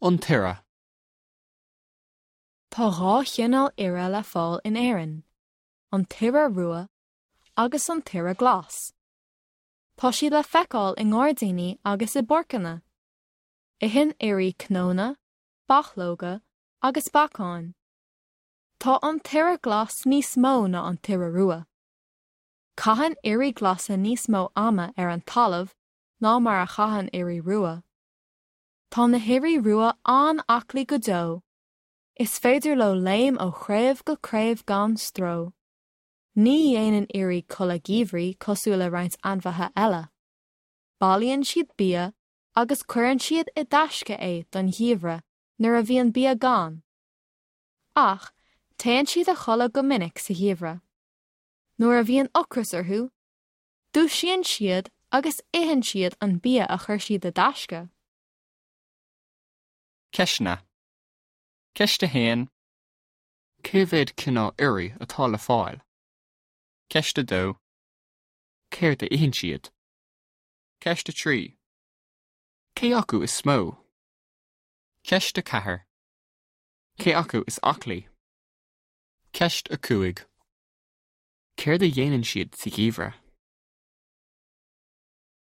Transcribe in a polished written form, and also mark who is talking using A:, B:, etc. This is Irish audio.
A: An t-iora.
B: Tá 2 chineál iora le fáil in Éirinn, an t-iora rua agus an t-iora glas. Tá siad le feiceáil i ngairdíní agus i bpáirceanna. Itheann ioraí cnónna, bachlóga agus beacáin. Tá an t-iora glas níos mó ná an t-iora rua. Caitheann ioraí glasa níos mó ama ar an talamh ná mar a chaitheann ioraí rua. Tá na hioraí rua an-aclaí go deo. Is féidir leo léim ó chraobh go craobh gan stró. Ní dhéanann ioraí codladh geimhridh cosúil le roinnt ainmhithe eile. Bailíonn siad bia agus cuireann siad i dtaisce é don gheimhreadh nuair a bhíonn bia gann. Ach téann siad a chodladh go minic sa gheimhreadh. Nuair a bhíonn ocras orthu, Dúisíonn siad agus itheann siad an bia a chuir siad i dtaisce.
A: Ceisteanna. Ceist 1. Cé mhéad cineál ioraí atá le fáil? Ceist 2. Céard a itheann siad? Ceist 3. Cé acu is mó? Ceist 4. Cé acu is aclaí? Ceist 5. Céard a dhéanann siad sa gheimhreadh?